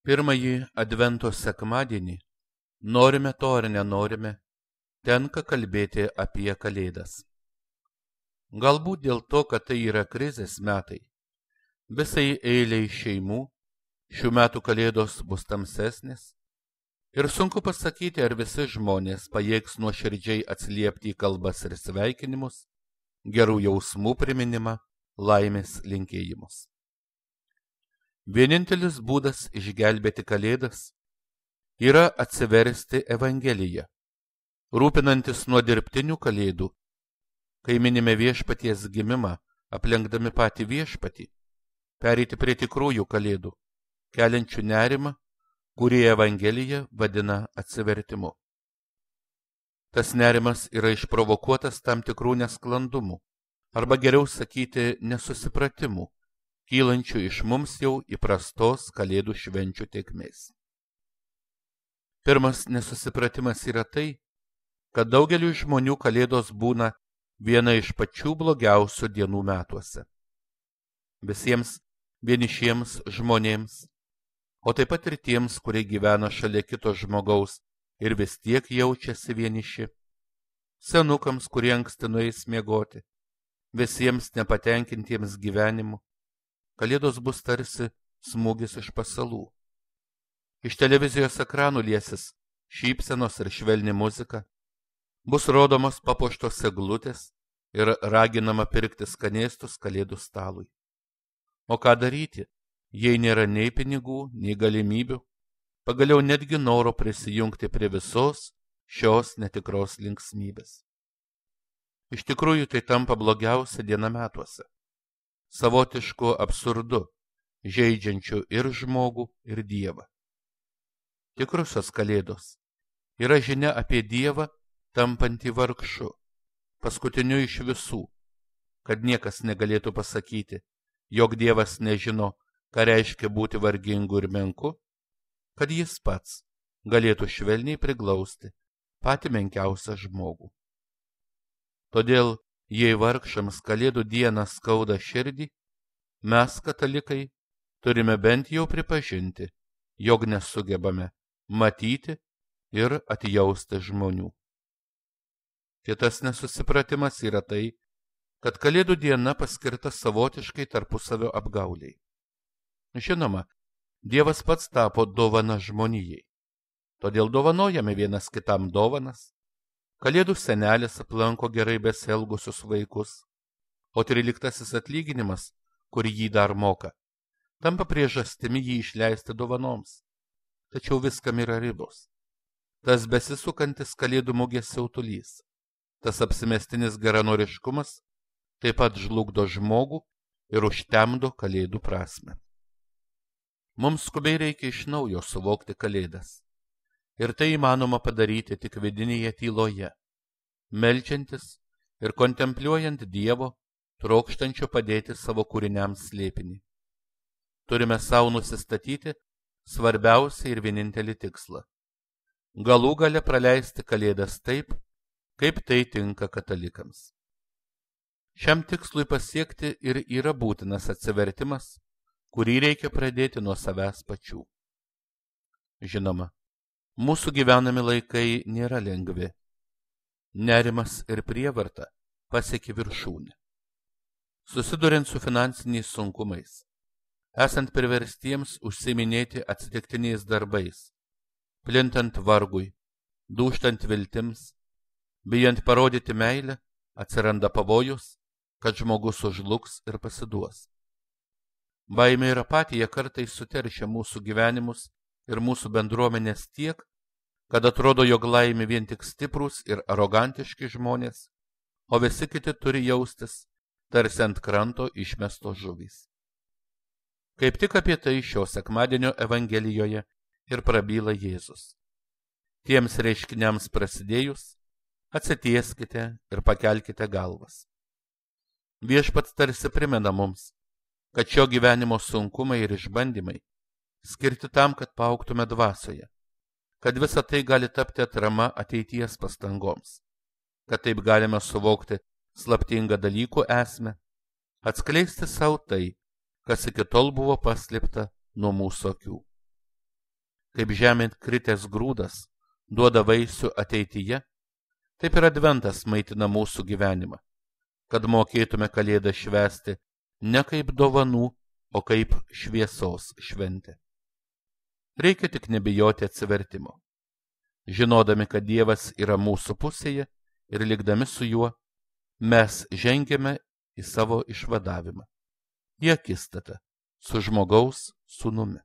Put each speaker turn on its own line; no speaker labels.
Pirmąjį Advento sekmadienį, norime to ar nenorime, tenka kalbėti apie Kalėdas. Galbūt dėl to, kad tai yra krizės metai, visai eiliai šeimų šių metų Kalėdos bus tamsesnės ir sunku pasakyti, ar visi žmonės pajėgs nuoširdžiai atsiliepti į kalbas ir sveikinimus, gerų jausmų priminimą, laimės linkėjimus. Vienintelis būdas išgelbėti Kalėdas yra atsiversti Evangeliją, rūpinantis nuo dirbtinių Kalėdų, kai minime viešpaties gimimą, aplenkdami patį viešpatį, pereiti prie tikrųjų Kalėdų, keliančių nerimą, kurį Evangelija vadina atsivertimu. Tas nerimas yra išprovokuotas tam tikrų nesklandumų, arba geriau sakyti nesusipratimų, kylančių iš mums jau įprastos Kalėdų švenčių tėkmės. Pirmas nesusipratimas yra tai, kad daugeliui žmonių Kalėdos būna viena iš pačių blogiausių dienų metuose. Visiems vienišiems žmonėms, o taip pat ir tiems, kurie gyvena šalia kito žmogaus ir vis tiek jaučiasi vieniši, senukams, kurie anksti nueis miegoti, visiems nepatenkintiems gyvenimu, Kalėdos bus tarsi smūgis iš pasalų. Iš televizijos ekranų liesis šypsenos ir švelni muzika, bus rodomos papuoštos eglutės ir raginama pirkti skanėstus Kalėdų stalui. O ką daryti, jei nėra nei pinigų, nei galimybių, pagaliau netgi noro prisijungti prie visos šios netikros linksmybės. Iš tikrųjų tai tampa blogiausia diena metuose, savotišku absurdu, žeidžiančiu ir žmogų, ir Dievą. Tikrusios Kalėdos yra žinia apie Dievą tampantį vargšu, paskutiniu iš visų, kad niekas negalėtų pasakyti, jog Dievas nežino, ką reiškia būti vargingu ir menku, kad jis pats galėtų švelniai priglausti patį menkiausią žmogų. Todėl, jei vargšams Kalėdų dieną skauda širdį, mes, katalikai, turime bent jau pripažinti, jog nesugebame matyti ir atjausti žmonių. Kitas nesusipratimas yra tai, kad Kalėdų diena paskirta savotiškai tarpusavio apgauliai. Žinoma, Dievas pats tapo dovana žmonijai, todėl dovanojame vienas kitam dovanas. Kalėdų senelis aplanko gerai besielgusius vaikus, o 13 atlyginimas, kurį jį dar moka, tampa priežastimi jį išleisti dovanoms. Tačiau viskam yra ribos. Tas besisukantis Kalėdų mugės siautulys, tas apsimestinis geranoriškumas taip pat žlugdo žmogų ir užtemdo Kalėdų prasmę. Mums skubiai reikia iš naujo suvokti Kalėdas. Ir tai įmanoma padaryti tik vidinėje tyloje, meldžiantis ir kontempliuojant Dievo, trokštančio padėti savo kūriniams slėpinį. Turime savo nusistatyti svarbiausią ir vienintelį tikslą – galų gale praleisti Kalėdas taip, kaip tai tinka katalikams. Šiam tikslui pasiekti ir yra būtinas atsivertimas, kurį reikia pradėti nuo savęs pačių. Žinoma, mūsų gyvenami laikai nėra lengvi. Nerimas ir prievarta pasiekė viršūnę. Susiduriant su finansiniais sunkumais, esant priverstiems užsiiminėti atsitiktiniais darbais, plintant vargui, dūžtant viltims, bijant parodyti meilę, atsiranda pavojus, kad žmogus sužlugs ir pasiduos. Baimė ir apatija kartais suteršia mūsų gyvenimus ir mūsų bendruomenės tiek, kad atrodo, jog laimi vien tik stiprūs ir arogantiški žmonės, o visi kiti turi jaustis tarsi ant kranto išmestos žuvys. Kaip tik apie tai šio sekmadienio Evangelijoje ir prabyla Jėzus. Tiems reiškiniams prasidėjus, atsitieskite ir pakelkite galvas. Viešpats tarsi primena mums, kad šio gyvenimo sunkumai ir išbandymai skirti tam, kad paaugtume dvasioje, kad visa tai gali tapti atrama ateities pastangoms, kad taip galime suvokti slaptingą dalykų esmę, atskleisti savo tai, kas iki tol buvo paslėpta nuo mūsų akių. kaip žemėn kritęs grūdas duoda vaisių ateityje, taip ir adventas maitina mūsų gyvenimą, kad mokėtume Kalėdą švęsti ne kaip dovanų, o kaip šviesos šventę. Reikia tik nebijoti atsivertimo. Žinodami, kad Dievas yra mūsų pusėje ir likdami su juo, mes žengiame į savo išvadavimą, į akistatą su žmogaus sūnumi.